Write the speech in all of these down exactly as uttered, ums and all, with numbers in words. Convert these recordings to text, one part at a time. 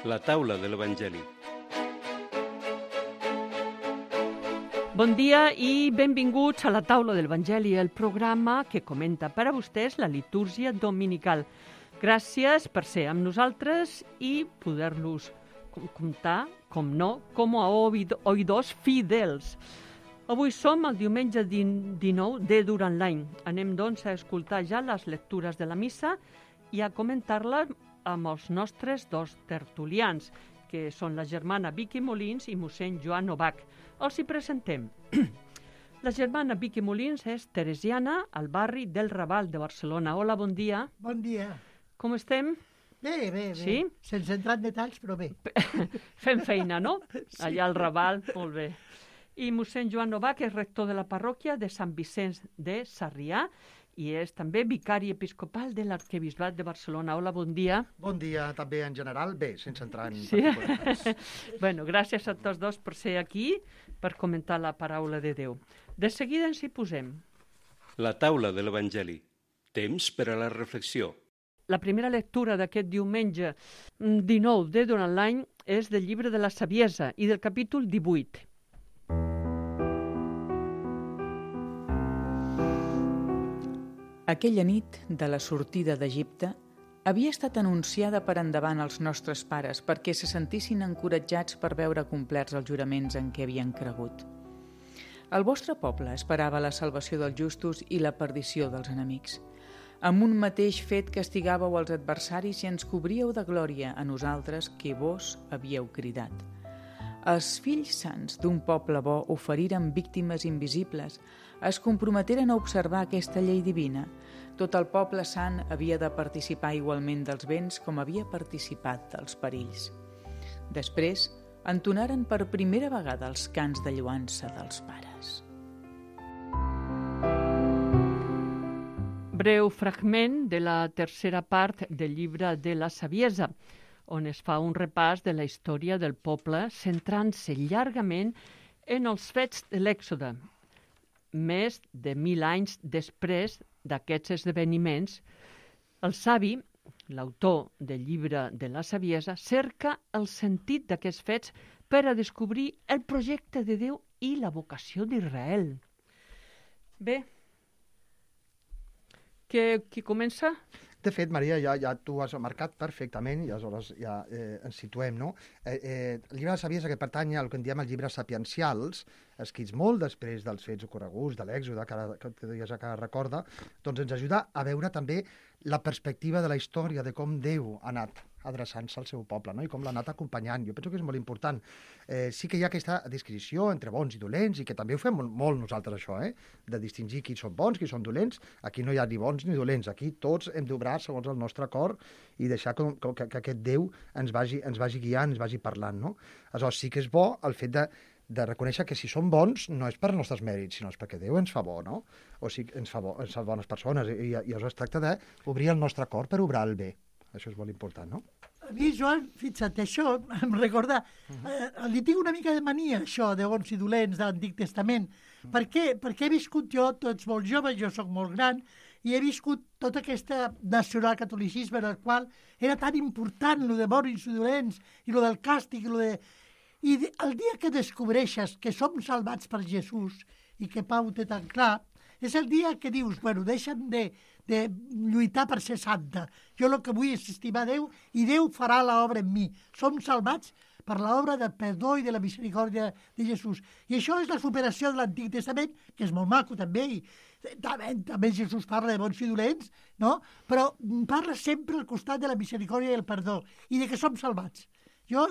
La taula de l'Evangeli. Bon dia i benvinguts a la taula de l'Evangeli, el programa que comenta per a vostès la litúrgia dominical. Gràcies per ser amb nosaltres i poder-los comptar, com no, com a oïdors fidels. Avui som el diumenge dinou de durant l'any. Anem, doncs, a escoltar ja les lectures de la missa i a comentar-les amb els nostres dos tertulians, que són la germana Vicky Molins i mossèn Joan Novak. Els hi presentem. La germana Vicky Molins és teresiana al barri del Raval de Barcelona. Hola, bon dia. Bon dia. Com estem? Bé, bé, bé. Sí? Sense entrar en detalls, però bé. Fem feina, no? Sí. Allà al Raval, molt bé. I mossèn Joan Novak és rector de la parròquia de Sant Vicenç de Sarrià i és també vicari episcopal de l'arquebisbat de Barcelona. Hola, bon dia. Bon dia també en general. Bé, sense entrar en Sí. particulars. Bueno, gràcies a tots dos per ser aquí, per comentar la paraula de Déu. De seguida ens hi posem. La taula de l'Evangeli. Temps per a la reflexió. La primera lectura d'aquest diumenge dinou de durant l'any és del llibre de la Saviesa i del capítol divuit. Aquella nit de la sortida d'Egipte havia estat anunciada per endavant als nostres pares perquè se sentissin encoratjats per veure complerts els juraments en què havien cregut. El vostre poble esperava la salvació dels justos i la perdició dels enemics. Amb un mateix fet castigàveu els adversaris i ens cobríeu de glòria a nosaltres que vos havíeu cridat. Els fills sants d'un poble bo oferiren víctimes invisibles, es comprometeren a observar aquesta llei divina. Tot el poble sant havia de participar igualment dels béns com havia participat dels perills. Després, entonaren per primera vegada els cants de lloança dels pares. Breu fragment de la tercera part del llibre de la Saviesa, on es fa un repàs de la història del poble centrant-se llargament en els fets de l'Èxode. Més de mil anys després d'aquests esdeveniments, el savi, l'autor del llibre de la Saviesa, cerca el sentit d'aquests fets per a descobrir el projecte de Déu i la vocació d'Israel. Bé, que, qui comença? De fet, Maria, ja, ja tu has marcat perfectament i aleshores ja eh, ens situem, no? Eh, eh, el llibre de la Saviesa, que pertany al que en diem els llibres sapiencials, escrits molt després dels fets ocorreguts, de l'Èxode, que, ara, que ja que recorda, doncs ens ajuda a veure també la perspectiva de la història, de com Déu ha anat adreçant-se al seu poble, no? I com l'ha anat acompanyant. Jo penso que és molt important. Eh, sí que hi ha aquesta disquisició entre bons i dolents, i que també ho fem molt, molt nosaltres, això, eh? De distingir qui són bons, qui són dolents. Aquí no hi ha ni bons ni dolents. Aquí tots hem d'obrar segons el nostre cor i deixar que, que, que aquest Déu ens vagi, ens vagi guiant, ens vagi parlant, no? Aleshores, sí que és bo el fet de de reconèixer que si som bons no és per als nostres mèrits, sinó és perquè Déu ens fa bo, no? O sigui, ens fa, bo, ens fa bones persones, i, i aleshores es tracta d'obrir el nostre cor per obrar el bé. Això és molt important, no? A mi, Joan, fixa't, això em recorda... Eh, li tinc una mica de mania, això, de bons i dolents, de l'Antic Testament. Mm. Per què? Perquè he viscut jo, tots molt joves, jo sóc molt gran, i he viscut tot aquest nacionalcatolicisme en el qual era tan important lo de bons i dolents, i lo del càstig, i lo de... I el dia que descobreixes que som salvats per Jesús i que Pau té tan clar, és el dia que dius, bueno, deixa'm de, de lluitar per ser santa. Jo el que vull és estimar Déu i Déu farà l'obra en mi. Som salvats per l'obra del perdó i de la misericòrdia de Jesús. I això és la superació de l'Antic Testament, que és molt maco també, i també, també Jesús parla de bons i dolents, no? Però parla sempre al costat de la misericòrdia i el perdó, i de que som salvats. Jo,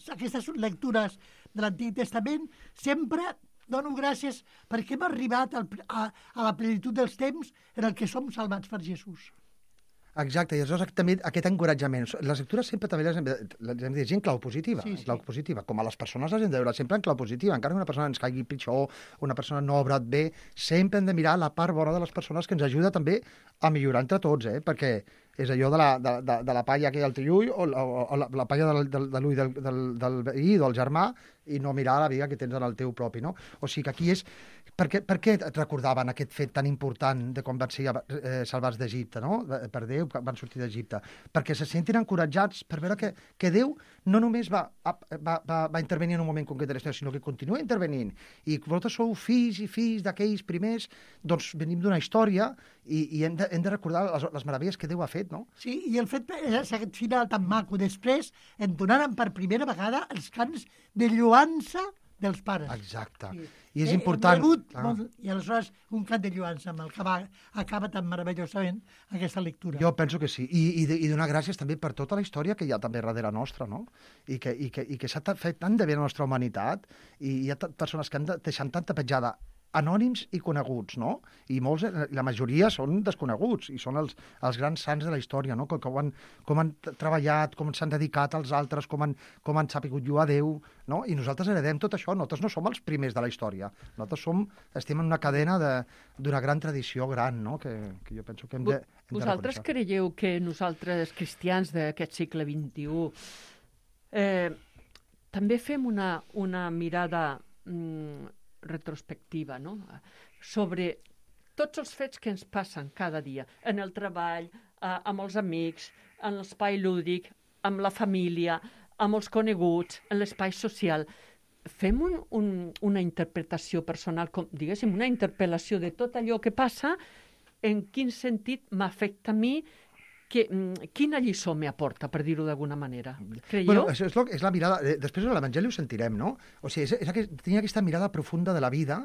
aquestes lectures de l'Antic Testament, sempre dono gràcies perquè hem arribat al, a, a la plenitud dels temps en el que som salvats per Jesús. Exacte, i aleshores també aquest encoratjament. Les lectures sempre també les hem de, les hem de llegir en clau positiva, sí, sí. En clau positiva. Com a les persones les hem de veure sempre en clau positiva. Encara que una persona ens caigui pitjor, una persona no ha obrat bé, sempre hem de mirar la part bona de les persones que ens ajuda també a millorar entre tots, eh? Perquè és allò de la, de, de, de la palla que hi ha al triull o la, o la, la palla del, del, de l'ull del, del, del veí, del germà, i no mirar la vida que tens en el teu propi, no? O sigui que aquí és... Per què, per què et recordaven aquest fet tan important de quan van ser eh, salvats d'Egipte, no? Per Déu, quan van sortir d'Egipte? Perquè se sentin encoratjats per veure que, que Déu no només va, va, va, va intervenir en un moment concret de la història, sinó que continua intervenint. I vosaltres sou fills i fills d'aquells primers, doncs venim d'una història i, i hem, de, hem de recordar les, les meravelles que Déu ha fet, no? Sí, i el fet aquest final tan maco. Després em donaren per primera vegada els cants de lluança dels pares. Exacte. Sí. I és important... Ah. Molt, I aleshores un cant de lluança amb el que va, acaba tan meravellosament aquesta lectura. Jo penso que sí. I, i, i donar gràcies també per tota la història que hi ha també darrere nostra, no? I que, i que, i que s'ha fet tant de bé a la nostra humanitat i hi ha persones que han deixat tanta petjada, anònims i coneguts, no? I molts, la majoria són desconeguts i són els, els grans sants de la història, no? Com, com, han, com han treballat, com s'han dedicat als altres, com han, com han sapigut lluar a Déu, no? I nosaltres heredem tot això. Nosaltres no som els primers de la història. Nosaltres som, estem en una cadena d'una gran tradició gran, no? Que, que jo penso que hem de, hem de Vosaltres creieu que nosaltres, cristians d'aquest segle vint-i-u, eh, també fem una, una mirada mm, retrospectiva, no? Sobre tots els fets que ens passen cada dia, en el treball, eh, amb els amics, en l'espai lúdic, amb la família, amb els coneguts, en l'espai social. Fem un, un, una interpretació personal, com, diguéssim, una interpel·lació de tot allò que passa, en quin sentit m'afecta a mi, que, quina lliçó m'aporta, per dir-ho d'alguna manera. Creieu? Bueno, és, és, lo, és la mirada... Després de l'Evangeli ho sentirem, no? O sigui, és, és aquest, tenir aquesta mirada profunda de la vida,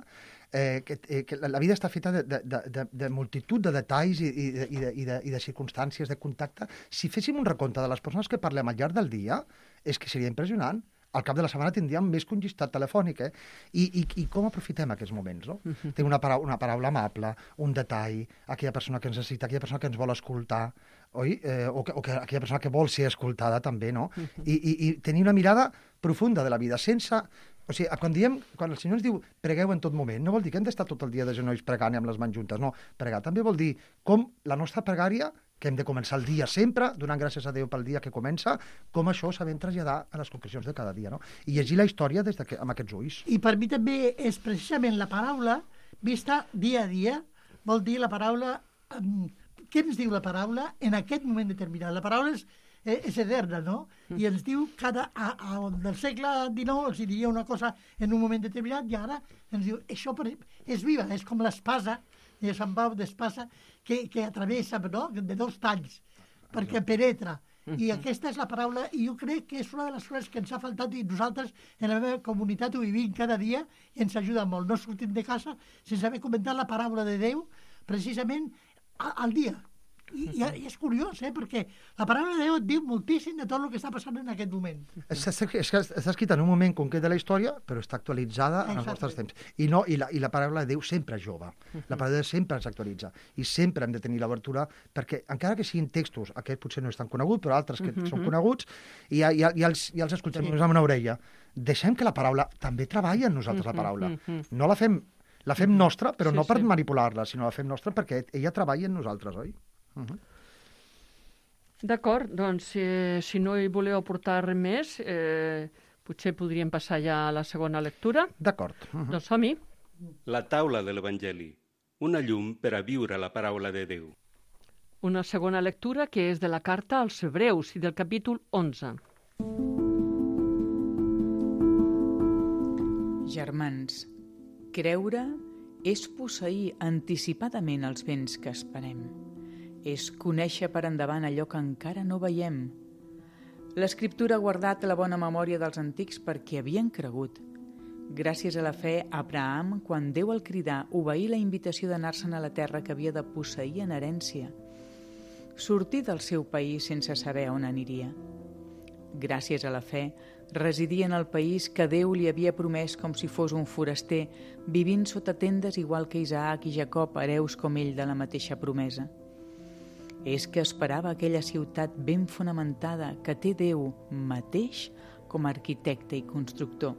eh, que, eh, que la vida està feta de, de, de, de multitud de detalls i, i, de, i, de, i, de, i de circumstàncies, de contacte. Si féssim un recompte de les persones que parlem al llarg del dia, és que seria impressionant. Al cap de la setmana tindríem més que un llistat telefònic, eh? I, i, i com aprofitem aquests moments, no? Uh -huh. Té una, paraula, una paraula amable, un detall, aquella persona que ens necessita, aquella persona que ens vol escoltar, oi? Eh, o, que, o que aquella persona que vol ser escoltada, també, no? Uh -huh. I, i, I tenir una mirada profunda de la vida, sense... O sigui, quan diem, quan el Senyor ens diu pregueu en tot moment, no vol dir que hem d'estar tot el dia de genolls pregant i amb les mans juntes, no. Pregar també vol dir com la nostra pregària, que hem de començar el dia sempre, donant gràcies a Déu pel dia que comença, com això sabem traslladar a les concrecions de cada dia, no? I llegir la història des de que, amb aquests ulls. I per mi també és precisament la paraula vista dia a dia, vol dir la paraula... Um, què ens diu la paraula en aquest moment determinat? La paraula és, eh, és eterna, no? Mm. I ens diu cada... A, a, del segle dinou els diria una cosa en un moment determinat i ara ens diu això per, és viva, és com l'espasa de Sant Pau d'espasa que, que atravessa, no? De dos talls, perquè penetra. I aquesta és la paraula, i jo crec que és una de les coses que ens ha faltat i nosaltres en la meva comunitat ho vivim cada dia i ens ajuda molt. No sortim de casa sense haver comentat la paraula de Déu precisament al dia. I, i, i és curiós, eh? Perquè la paraula de Déu et diu moltíssim de tot el que està passant en aquest moment. Està, està escrita en un moment concret de la història, però està actualitzada en els nostres temps. I, no, i, la, I la paraula de Déu sempre és jove. La paraula de Déu sempre s'actualitza. I sempre hem de tenir l'obertura, perquè encara que siguin textos, aquest potser no és tan conegut, però altres que uh-huh. són coneguts, i ja, ja, ja, els, ja els escoltem sí. amb una orella. Deixem que la paraula també treballi en nosaltres, la paraula. No la fem, la fem nostra, però sí, no per sí. manipular-la, sinó la fem nostra perquè ella treballa en nosaltres, oi? Uh -huh. D'acord, doncs eh, si no hi voleu aportar res més, eh, potser podríem passar ja a la segona lectura. D'acord. Uh -huh. Doncs som-hi. La taula de l'Evangeli, una llum per a viure la paraula de Déu. Una segona lectura que és de la carta als Hebreus i del capítol onze. Germans, creure és posseir anticipadament els béns que esperem. És conèixer per endavant allò que encara no veiem. L'Escriptura ha guardat la bona memòria dels antics perquè havien cregut. Gràcies a la fe, Abraham, quan Déu el cridà, obeí la invitació d'anar-se'n a la terra que havia de posseir en herència. Sortir del seu país sense saber on aniria. Gràcies a la fe, residia en el país que Déu li havia promès com si fos un foraster, vivint sota tendes igual que Isaac i Jacob, hereus com ell de la mateixa promesa. És que esperava aquella ciutat ben fonamentada que té Déu mateix com a arquitecte i constructor.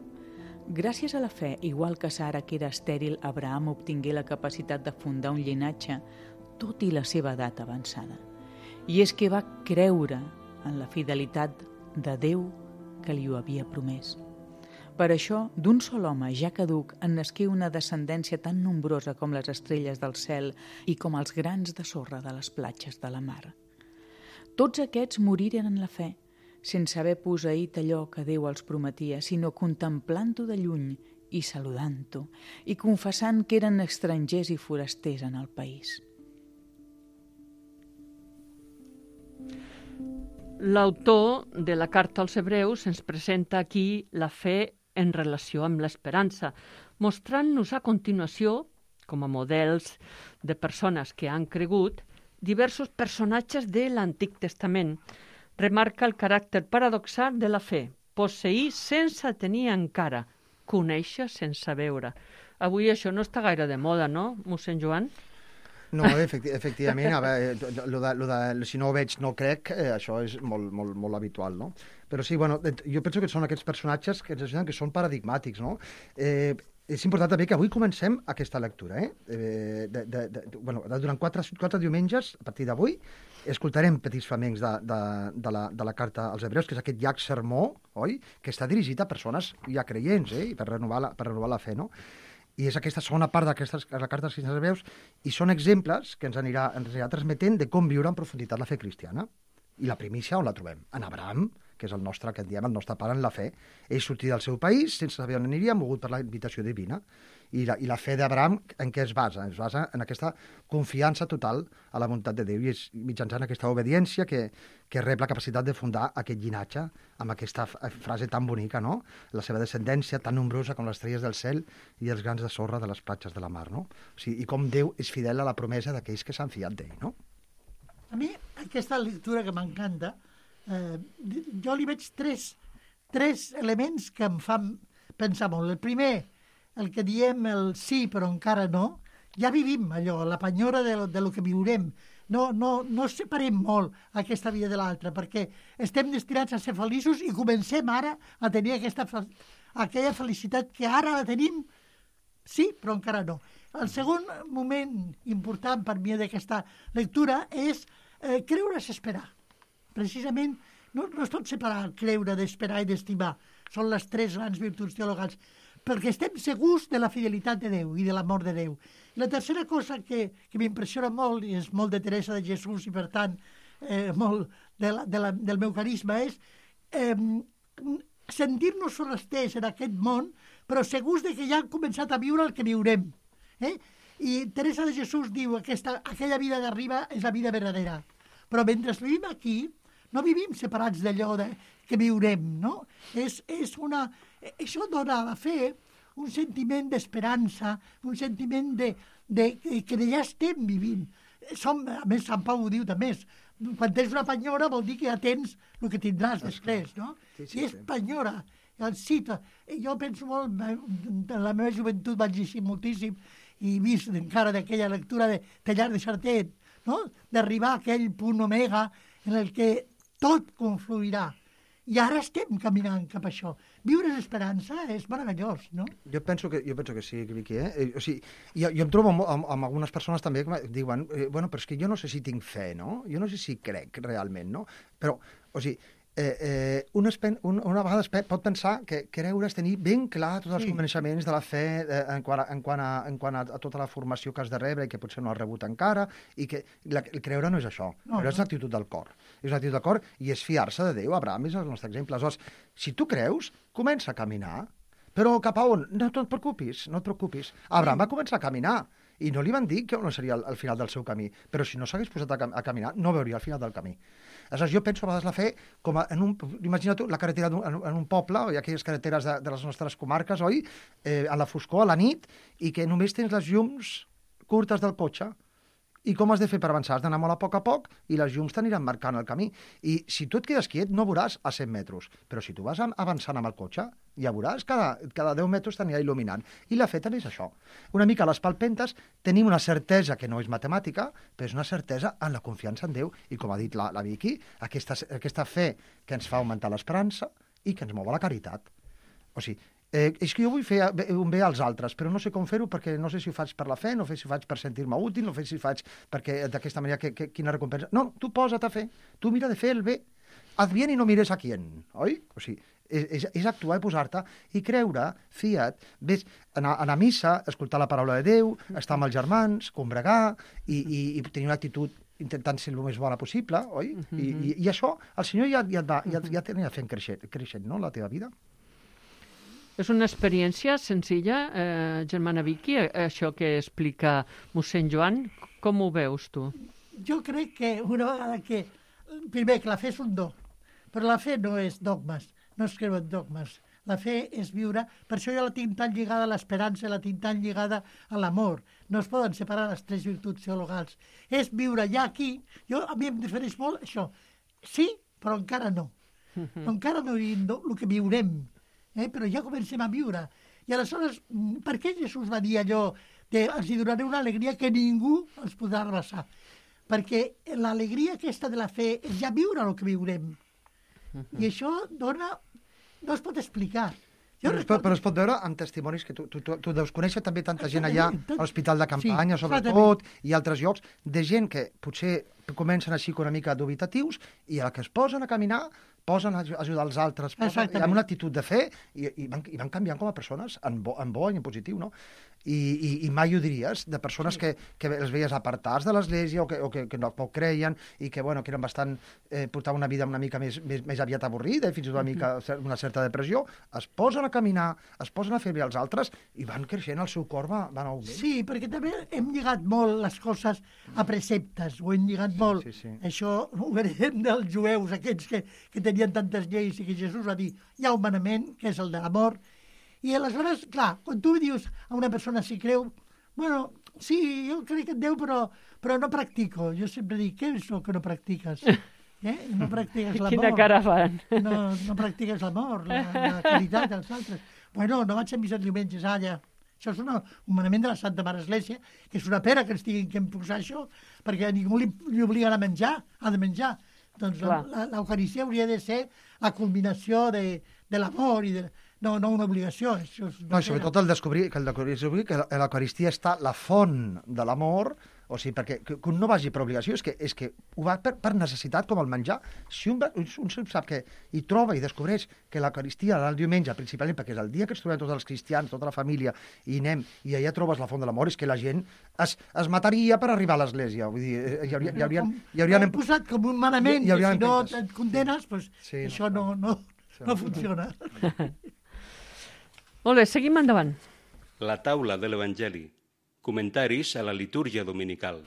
Gràcies a la fe, igual que Sara, que era estèril, Abraham obtingué la capacitat de fundar un llinatge, tot i la seva edat avançada. I és que va creure en la fidelitat de Déu que li ho havia promès. Per això, d'un sol home ja caduc en nasqué una descendència tan nombrosa com les estrelles del cel i com els grans de sorra de les platges de la mar. Tots aquests moriren en la fe, sense haver posseït allò que Déu els prometia, sinó contemplant-ho de lluny i saludant-ho, i confessant que eren estrangers i forasters en el país. L'autor de la Carta als Hebreus ens presenta aquí la fe en relació amb l'esperança, mostrant-nos a continuació, com a models de persones que han cregut, diversos personatges de l'Antic Testament. Remarca el caràcter paradoxal de la fe, posseir sense tenir encara, conèixer sense veure. Avui això no està gaire de moda, no, mossèn Joan? No, efecti efectivament, a veure, lo de, lo de, si no ho veig no crec, eh, això és molt, molt, molt habitual, no? Però sí, bueno, jo penso que són aquests personatges que ens ajuden, que són paradigmàtics, no? Eh, és important també que avui comencem aquesta lectura, eh? eh de, de, de, bueno, durant quatre, quatre diumenges, a partir d'avui, escoltarem petits flamencs de, de, de, la, de la Carta als Hebreus, que és aquest llarg sermó, oi?, que està dirigit a persones ja creients, eh?, per renovar la, per renovar la fe, no? I és aquesta segona part d'aquestes la Carta als Hebreus, i són exemples que ens anirà, ens anirà transmetent de com viure en profunditat la fe cristiana. I la primícia on la trobem? En Abraham, que és el nostre, que en diem el nostre pare en la fe. Ell sortia del seu país sense saber on aniria, mogut per la invitació divina. I la, i la fe d'Abraham en què es basa? Es basa en aquesta confiança total a la voluntat de Déu, i és mitjançant aquesta obediència que, que rep la capacitat de fundar aquest llinatge amb aquesta frase tan bonica, no? La seva descendència tan nombrosa com les estrelles del cel i els grans de sorra de les platges de la mar, no? O sigui, i com Déu és fidel a la promesa d'aquells que s'han fiat d'ell, no? A mi, aquesta lectura que m'encanta, eh, jo li veig tres, tres elements que em fan pensar molt. El primer, el que diem el sí però encara no, ja vivim allò, la penyora de, de lo que viurem. No, no, no separem molt aquesta vida de l'altra, perquè estem destinats a ser feliços i comencem ara a tenir aquesta, aquella felicitat que ara la tenim, sí, però encara no. El segon moment important per mi d'aquesta lectura és eh, creure és esperar. Precisament, no, no es pot separar creure d'esperar i d'estimar. Són les tres grans virtuts teologals, perquè estem segurs de la fidelitat de Déu i de l'amor de Déu. I la tercera cosa que, que m'impressiona molt, i és molt de Teresa de Jesús i per tant eh, molt de la, de la, del meu carisma, és eh, sentir-nos forasters en aquest món, però segurs de que ja han començat a viure el que viurem. Eh? I Teresa de Jesús diu que aquesta, aquella vida d'arriba és la vida verdadera. Però mentre vivim aquí, no vivim separats d'allò de, que viurem, no? És, és una... Això dona a la fe un sentiment d'esperança, un sentiment de, de, de que ja estem vivint. Som, a més, Sant Pau ho diu també, quan tens una penyora vol dir que ja tens el que tindràs després, no? Sí, sí, I és sí. penyora. El cita. Jo penso molt, en la meva joventut vaig llegir moltíssim i he vist encara d'aquella lectura de Tallar de Chartet, no? D'arribar a aquell punt omega en el que tot confluirà. I ara estem caminant cap a això. Viure l'esperança és meravellós, no? Jo penso que, jo penso que sí, Vicky, eh? O sigui, jo, jo em trobo amb, amb, amb algunes persones també que diuen, eh, bueno, però és que jo no sé si tinc fe, no? Jo no sé si crec realment, no? Però, o sigui, eh, eh, un espen, un, una vegada es pot pensar que creure és tenir ben clar tots els sí. coneixements de la fe eh, en, quant a, en, quant a, en quant a, a tota la formació que has de rebre i que potser no has rebut encara, i que la, el creure no és això, no, creure no. és una actitud del cor. És una actitud del cor i és fiar-se de Déu. Abraham és el nostre exemple. Aleshores, si tu creus, comença a caminar, però cap a on? No, no et preocupis, no et preocupis. Abraham va començar a caminar i no li van dir que no seria el, el final del seu camí, però si no s'hagués posat a, a caminar, no veuria el final del camí. Aleshores, jo penso a vegades la fe com a, en un... Imagina tu la carretera en, en un poble, o aquelles carreteres de, de les nostres comarques, oi? Eh, a la foscor, a la nit, i que només tens les llums curtes del cotxe. I com has de fer per avançar? Has d'anar molt a poc a poc i les llums t'aniran marcant el camí. I si tu et quedes quiet no veuràs a cent metres, però si tu vas avançant amb el cotxe, ja veuràs, cada, cada deu metres t'anirà il·luminant. I la fe també és això. Una mica a les palpentes tenim una certesa que no és matemàtica, però és una certesa en la confiança en Déu. I com ha dit la, la Vicky, aquesta, aquesta fe que ens fa augmentar l'esperança i que ens mou a la caritat. O sigui, Eh, és que jo vull fer un bé als altres, però no sé com fer-ho perquè no sé si ho faig per la fe, no sé si ho faig per sentir-me útil, no sé si ho faig perquè d'aquesta manera que, que, quina recompensa... No, tu posa't a fer, tu mira de fer el bé. haz bien i no mires a quién, oi? O sigui, és, és, és actuar i posar-te i creure, fia't, ves, anar, anar a missa, escoltar la paraula de Déu, estar amb els germans, combregar i, i, i tenir una actitud intentant ser el més bona possible, oi? Uh -huh. I, i, I això, el Senyor ja, ja et va, ja, ja t'anirà fent creixent, creixent, no?, la teva vida. És una experiència senzilla, eh, germana Vicky, això que explica mossèn Joan. Com ho veus tu? Jo crec que una vegada que... Primer, que la fe és un do, però la fe no és dogmes, no es creuen dogmes. La fe és viure, per això jo la tinc tan lligada a l'esperança, la tinc tan lligada a l'amor. No es poden separar les tres virtuts teologals. És viure ja aquí, jo, a mi em difereix molt això. Sí, però encara no. Uh-huh. Encara no vivim el que viurem, eh? Però ja comencem a viure. I aleshores, per què Jesús va dir allò de els hi donaré una alegria que ningú els podrà arrasar? Perquè l'alegria aquesta de la fe és ja viure el que viurem. Uh-huh. I això dona... No es pot explicar. Jo però, es pot, però es pot veure amb testimonis que tu, tu, tu, tu deus conèixer també tanta gent allà a l'Hospital de Campanya, sí, sobretot, i altres llocs, de gent que potser comencen així una mica dubitatius i a la que es posen a caminar posen a ajudar els altres, posen, amb una actitud de fe i, i, van, i van canviant com a persones en bo, en bo i en positiu, no? I, i, i mai ho diries, de persones sí. que, que els veies apartats de l'església o que, o que, que no poc creien i que, bueno, que eren bastant, eh, portaven una vida una mica més, més, més aviat avorrida i fins i tot una, mica, una certa depressió, es posen a caminar, es posen a fer bé als altres i van creixent, el seu cor va, va en augment. Sí, perquè també hem lligat molt les coses a preceptes, ho hem lligat molt. Sí, sí, sí. Això ho veiem dels jueus, aquests que, que tenien tantes lleis i que Jesús va dir, hi ha un manament, que és el de l'amor. I aleshores, clar, quan tu dius a una persona si creu, bueno, sí, jo crec en Déu, però, però no practico. Jo sempre dic, què és el que no practiques? Eh? No practiques l'amor. Quina cara fan. No, no practiques l'amor, la, la caritat dels altres. Bueno, no vaig a missa els diumenges, alla. Això és una, un manament de la Santa Mare Església, que és una pena que ens tinguin que imposar això, perquè a ningú li, li obliguen a menjar, ha de menjar. Doncs l'Eucaristia hauria de ser la culminació de, de l'amor i de... No, no una obligació. Això és no, sobretot el descobrir que, el descobrir que l'Eucaristia està la font de l'amor, o sigui, perquè que un no vagi per obligació, és que, és que ho va per, per necessitat, com el menjar. Si un, un sap que hi troba i descobreix que l'Eucaristia el diumenge, principalment perquè és el dia que ens trobem tots els cristians, tota la família, i anem, i allà trobes la font de l'amor, és que la gent es, es mataria per arribar a l'església. Vull dir, hi hauria... Hi haurien, hi haurien, hi haurien posat com un manament, que si no et condenes, pues, sí, això no, no, no, no funciona. Molt bé, seguim endavant. La taula de l'Evangeli. Comentaris a la litúrgia dominical.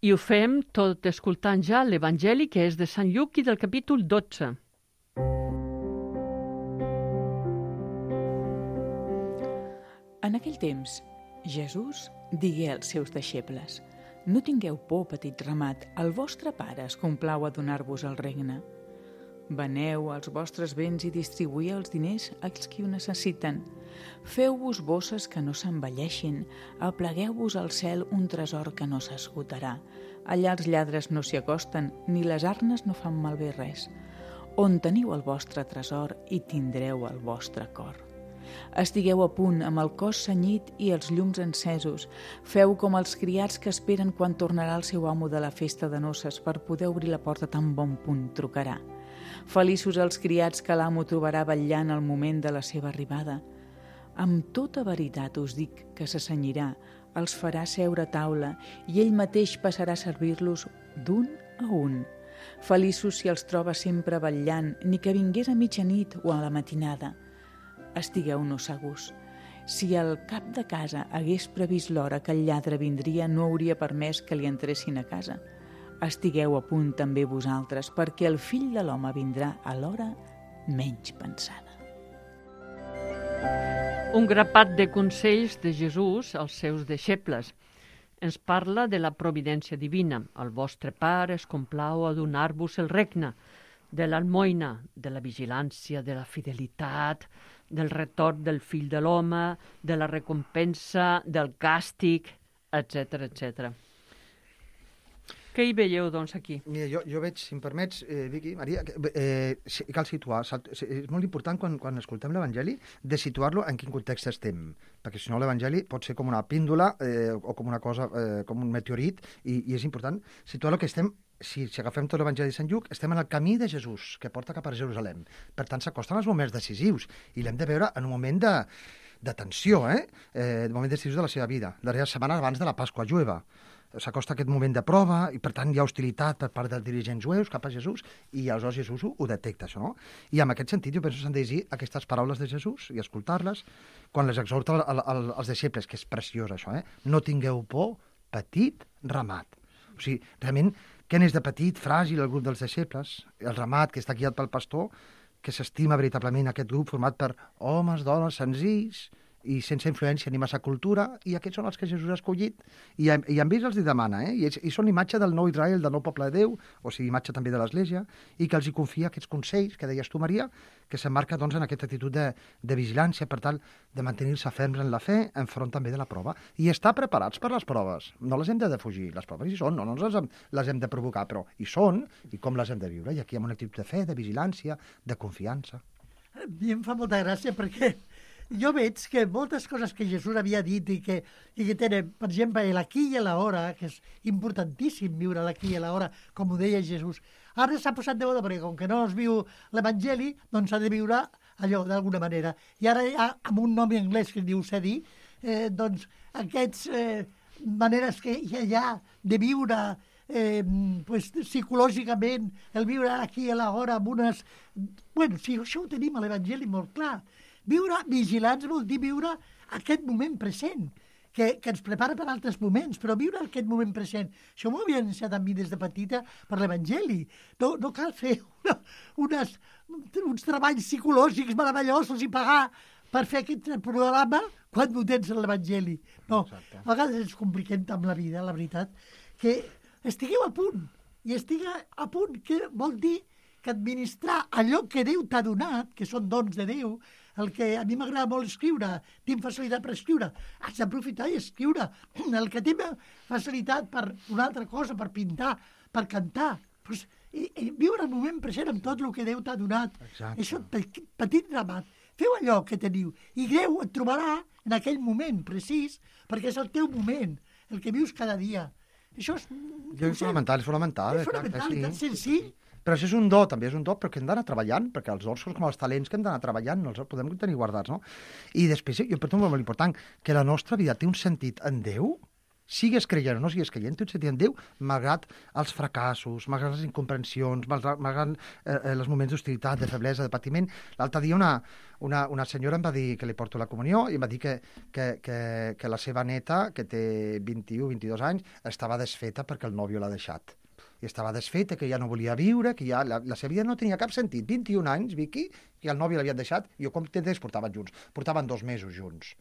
I ho fem tot escoltant ja l'Evangeli, que és de Sant Lluc i del capítol dotze. En aquell temps, Jesús digué als seus deixebles: no tingueu por, petit ramat, el vostre pare es complau a donar-vos el regne. Veneu els vostres béns i distribuïu els diners als qui ho necessiten. Feu-vos bosses que no s'envelleixin, aplegueu-vos al cel un tresor que no s'esgotarà. Allà els lladres no s'hi acosten, ni les arnes no fan malbé res. On teniu el vostre tresor, hi tindreu el vostre cor. Estigueu a punt amb el cos cenyit i els llums encesos. Feu com els criats que esperen quan tornarà el seu amo de la festa de noces per poder obrir la porta tan bon punt trucarà. Feliços els criats que l'amo trobarà vetllant al moment de la seva arribada. Amb tota veritat us dic que s'assenyirà, els farà seure a taula i ell mateix passarà a servir-los d'un a un. Feliços si els troba sempre vetllant, ni que vingués a mitjanit o a la matinada. Estigueu-no segurs. Si el cap de casa hagués previst l'hora que el lladre vindria, no hauria permès que li entressin a casa. Estigueu a punt també vosaltres, perquè el fill de l'home vindrà a l'hora menys pensada. Un grapat de consells de Jesús als seus deixebles. Ens parla de la providència divina. El vostre pare es complau a donar-vos el regne, de l'almoina, de la vigilància, de la fidelitat, del retorn del fill de l'home, de la recompensa, del càstig, etcètera, etcètera. Què hi veieu, doncs, aquí? Mira, jo, jo veig, si em permets, eh, Vicky, Maria, eh, cal situar, és molt important quan, quan escoltem l'Evangeli de situar-lo en quin context estem, perquè si no l'Evangeli pot ser com una píndola eh, o com una cosa, eh, com un meteorit, i, i és important situar-lo que estem si, si agafem tot l'Evangeli de Sant Lluc, estem en el camí de Jesús, que porta cap a Jerusalem. Per tant, s'acosten els moments decisius, i l'hem de veure en un moment de, de tensió, eh? eh? De moment decisius de la seva vida, la darrera setmana abans de la Pasqua jueva. S'acosta aquest moment de prova, i per tant hi ha hostilitat per part dels dirigents jueus cap a Jesús, i aleshores Jesús ho, ho detecta, això, no? I en aquest sentit jo penso que s'han de llegir aquestes paraules de Jesús i escoltar-les quan les exhorta al, al, als deixebles, que és preciós això, eh? No tingueu por, petit ramat. O sigui, realment, què n'és de petit, fràgil, el grup dels deixebles, el ramat que està guiat pel pastor, que s'estima veritablement aquest grup format per homes, dones, senzills i sense influència ni massa cultura, i aquests són els que Jesús ha escollit, i, i amb ells els hi demana, eh? I, ells, i són imatge del nou Israel, del nou poble de Déu, o sigui, imatge també de l'Església, i que els hi confia aquests consells que deies tu, Maria, que s'emmarca doncs, en aquesta actitud de, de vigilància per tal de mantenir-se ferms en la fe enfront també de la prova, i estar preparats per les proves. No les hem de defugir, les proves hi són, no, no les hem, les hem de provocar, però hi són, i com les hem de viure, i aquí amb una actitud de fe, de vigilància, de confiança. A mi em fa molta gràcia perquè jo veig que moltes coses que Jesús havia dit i que, i que tenen, per exemple, l'aquí i l'hora, que és importantíssim viure l'aquí i l'hora, com ho deia Jesús, ara s'ha posat de moda perquè com que no es viu l'Evangeli, doncs s'ha de viure allò d'alguna manera. I ara hi ha, amb un nom en anglès que es diu Sedi, eh, doncs aquestes eh, maneres que hi ha de viure eh, pues, psicològicament, el viure aquí a l'hora amb unes... Bueno, si això ho tenim a l'Evangeli molt clar. Viure vigilants vol dir viure aquest moment present, que, que ens prepara per altres moments, però viure aquest moment present. Això m'ho havia ensenyat a mi des de petita per l'Evangeli. No, no cal fer una, unes, uns treballs psicològics meravellosos i pagar per fer aquest programa quan ho tens a l'Evangeli. No, exacte. A vegades ens compliquem amb la vida, la veritat, que estigueu a punt, i estigueu a punt, que vol dir que administrar allò que Déu t'ha donat, que són dons de Déu, el que a mi m'agrada molt escriure, tinc facilitat per escriure, has d'aprofitar i escriure. El que té facilitat per una altra cosa, per pintar, per cantar, pues, i, i viure el moment present amb tot el que Déu t'ha donat. Exacte. Això, petit, petit ramat. Feu allò que teniu, i Déu et trobarà en aquell moment precís, perquè és el teu moment, el que vius cada dia. Això és... Jo és fonamental, és fonamental. És fonamental, sí. i tan senzill. Però això és un do, també és un do, però que hem d'anar treballant, perquè els dons són com els talents que hem d'anar treballant, no els podem tenir guardats, no? I després, jo per tu molt important, que la nostra vida té un sentit en Déu, sigues creient o no sigues creient, té un sentit en Déu, malgrat els fracassos, malgrat les incomprensions, malgrat, malgrat eh, els moments d'hostilitat, de feblesa, de patiment. L'altre dia una, una, una senyora em va dir que li porto la comunió i em va dir que, que, que, que la seva neta, que té vint-i-u, vint-i-dos anys, estava desfeta perquè el nòvio l'ha deixat. I estava desfeta, que ja no volia viure, que ja la, la seva vida no tenia cap sentit. vint-i-un anys, Vicky, que el nòvio l'havien deixat, i jo com temps portaven junts? Portaven dos mesos junts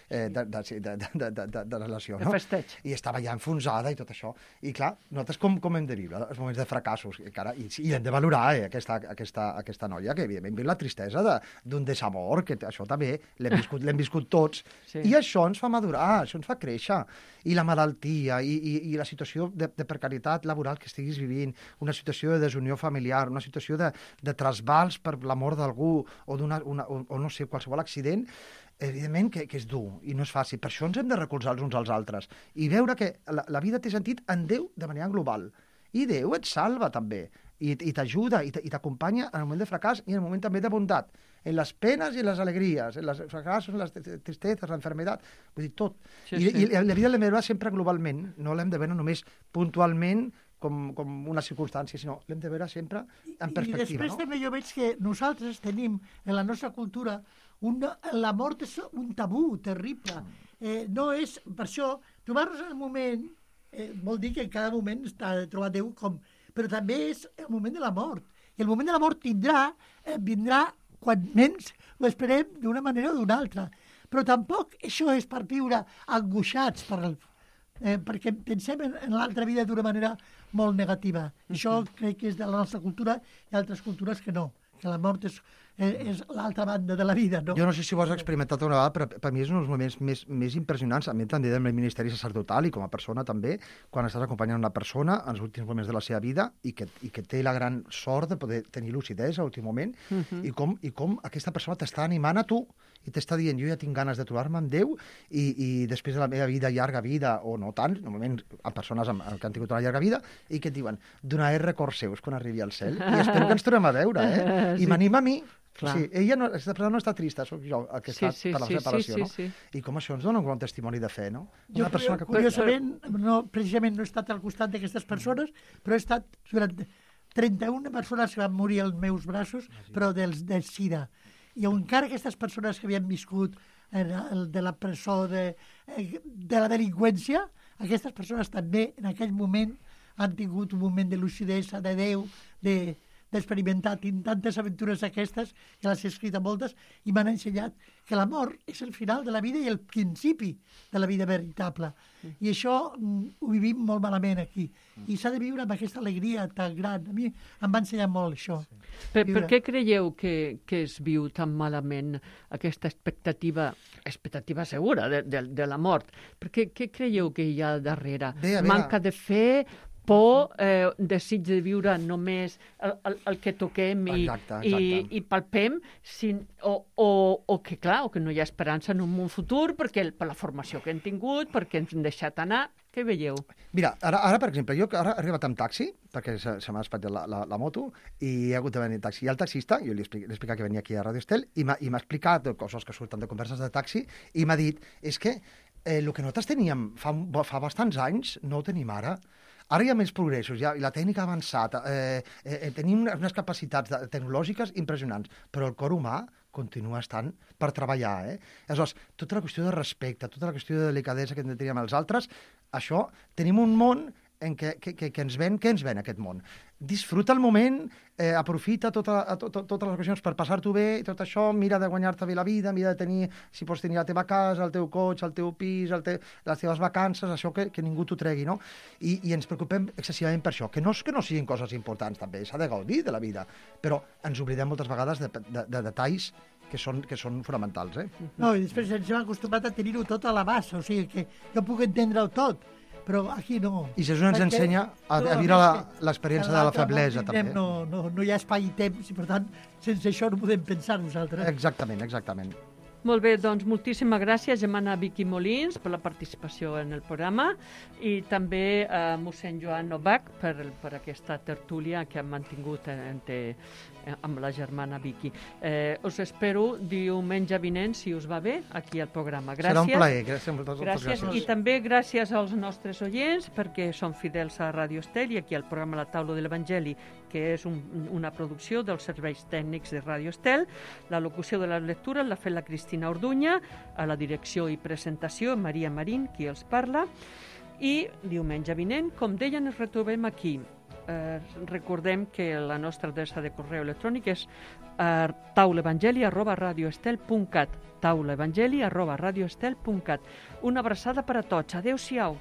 eh, de, de, de, de, de, de, de relació, no? De festeig. I estava ja enfonsada i tot això. I clar, nosaltres com, com hem de viure els moments de fracassos? I, cara, i, i hem de valorar eh, aquesta, aquesta, aquesta noia, que evidentment viu la tristesa d'un de, desamor, que això també l'hem viscut, l'hem viscut tots. Sí. I això ens fa madurar, això ens fa créixer. I la malaltia, i, i, i la situació de, de precarietat laboral que estiguis vivint, una situació de desunió familiar, una situació de, de trasbals per la mort d'algú, o, una, una, o, o no sé, qualsevol accident, evidentment que, que és dur i no és fàcil. Per això ens hem de recolzar els uns als altres i veure que la, la vida té sentit en Déu de manera global. I Déu et salva també, i, i t'ajuda, i t'acompanya en el moment de fracàs i en el moment també de bondat, en les penes i les alegries, en les fracassos, en les tristeses, l'enfermedad, vull dir, tot. Sí, I, sí. I la vida l'hem de veure sempre globalment, no l'hem de veure només puntualment com, com una circumstància, sinó l'hem de veure sempre en perspectiva. I després no? també jo veig que nosaltres tenim en la nostra cultura una, la mort és un tabú terrible. Eh, no és, per això, trobar-nos en el moment eh, vol dir que en cada moment està de trobar Déu com... Però també és el moment de la mort. I el moment de la mort tindrà, eh, vindrà quan menys ho esperem d'una manera o d'una altra. Però tampoc això és per viure angoixats per el... Eh, perquè pensem en, en l'altra vida d'una manera molt negativa. Això crec que és de la nostra cultura i altres cultures que no, que la mort és, és l'altra banda de la vida, no? Jo no sé si ho has experimentat una vegada, però per mi és un dels moments més, més impressionants, a mi també del ministeri sacerdotal i com a persona també, quan estàs acompanyant una persona en els últims moments de la seva vida i que, i que té la gran sort de poder tenir lucidesa a l'últim moment, uh -huh. i, com, i com aquesta persona t'està animant a tu i t'està dient, jo ja tinc ganes de trobar-me amb Déu i, i després de la meva vida, llarga vida, o no tant, normalment a persones amb, que han tingut una llarga vida, i que et diuen, donaré records seus quan arribi al cel, i espero que ens tornem a veure, eh? I sí. m'anima a mi. Clar. Sí, ella no, aquesta persona no està trista, sóc jo el que està sí, sí, per la sí, separació, sí, no? sí, sí. I com això ens dona un bon testimoni de fe, no? Jo, Una persona que... curiosament, no, precisament no he estat al costat d'aquestes persones, però he estat durant trenta-una persones que van morir als meus braços, però dels, del SIDA. I encara aquestes persones que havien viscut en el, de la presó, de, de la delinqüència, aquestes persones també en aquell moment han tingut un moment de lucidesa, de Déu, de d'experimentar tantes aventures aquestes, que les he escrit a moltes, i m'han ensenyat que la mort és el final de la vida i el principi de la vida veritable. I això mm, ho vivim molt malament aquí. I s'ha de viure amb aquesta alegria tan gran. A mi em va ensenyar molt això. Per, per què creieu que, que es viu tan malament aquesta expectativa, expectativa segura de, de, de la mort? Per què, què creieu que hi ha darrere? Bé, Manca de fe, por, eh, desig de viure només el, el, el que toquem i, exacte, exacte. i, i palpem, sin, o, o, o que, clar, o que no hi ha esperança en un món futur perquè per la formació que hem tingut, perquè ens hem deixat anar. Què veieu? Mira, ara, ara per exemple, jo ara he arribat amb taxi, perquè se, se m'ha espatllat la, la, la moto, i he hagut de venir en taxi. I el taxista, jo li he explicat, explicat que venia aquí a Radio Estel, i m'ha explicat coses que surten de converses de taxi, i m'ha dit, és que eh, el que nosaltres teníem fa, fa bastants anys no ho tenim ara. Ara hi ha més progressos, ja, i la tècnica ha avançat, eh, eh, tenim unes capacitats de, tecnològiques impressionants, però el cor humà continua estant per treballar. Eh? Aleshores, tota la qüestió de respecte, tota la qüestió de delicadesa que hem de tenir amb els altres, això, tenim un món en què, que, que, que ens ven, què ens ven aquest món? Disfruta el moment, eh, aprofita tota, to, to, totes les ocasions per passar-t'ho bé i tot això, mira de guanyar-te bé la vida, mira de tenir, si pots tenir la teva casa, el teu cotxe, el teu pis, el te, les teves vacances, això que, que ningú t'ho tregui, no? I, I ens preocupem excessivament per això, que no és que no siguin coses importants també, s'ha de gaudir de la vida, però ens oblidem moltes vegades de, de, de detalls que són, que són fonamentals, eh? No, i després ens hem acostumat a tenir-ho tot a l'abast, o sigui que jo puc entendre-ho tot, però aquí no. I Jesús ens ensenya a, a viure l'experiència de la feblesa, també. No, no, no hi ha espai i temps, i per tant, sense això no podem pensar nosaltres. Exactament, exactament. Molt bé, doncs moltíssimes gràcies, Germana Vicky Molins, per la participació en el programa, i també a eh, mossèn Joan Novak per, per aquesta tertúlia que hem mantingut entre, eh, amb la germana Vicky. Eh, us espero diumenge vinent, si us va bé, aquí al programa. Gràcies. Serà un plaer. Gràcies, moltes gràcies. gràcies. I també gràcies als nostres oients, perquè són fidels a Radio Estel i aquí al programa La Taula de l'Evangeli, que és un, una producció dels serveis tècnics de Radio Estel. La locució de les lectures l'ha fet la Cristina Orduña, a la direcció i presentació Maria Marín, qui els parla, i diumenge vinent, com deien, ens retrobem aquí. Eh, recordem que la nostra adreça de correu electrònic és eh, taulaevangeli arroba radioestel punt cat taulaevangeli arroba radioestel punt cat. Una abraçada per a tots. Adéu-siau.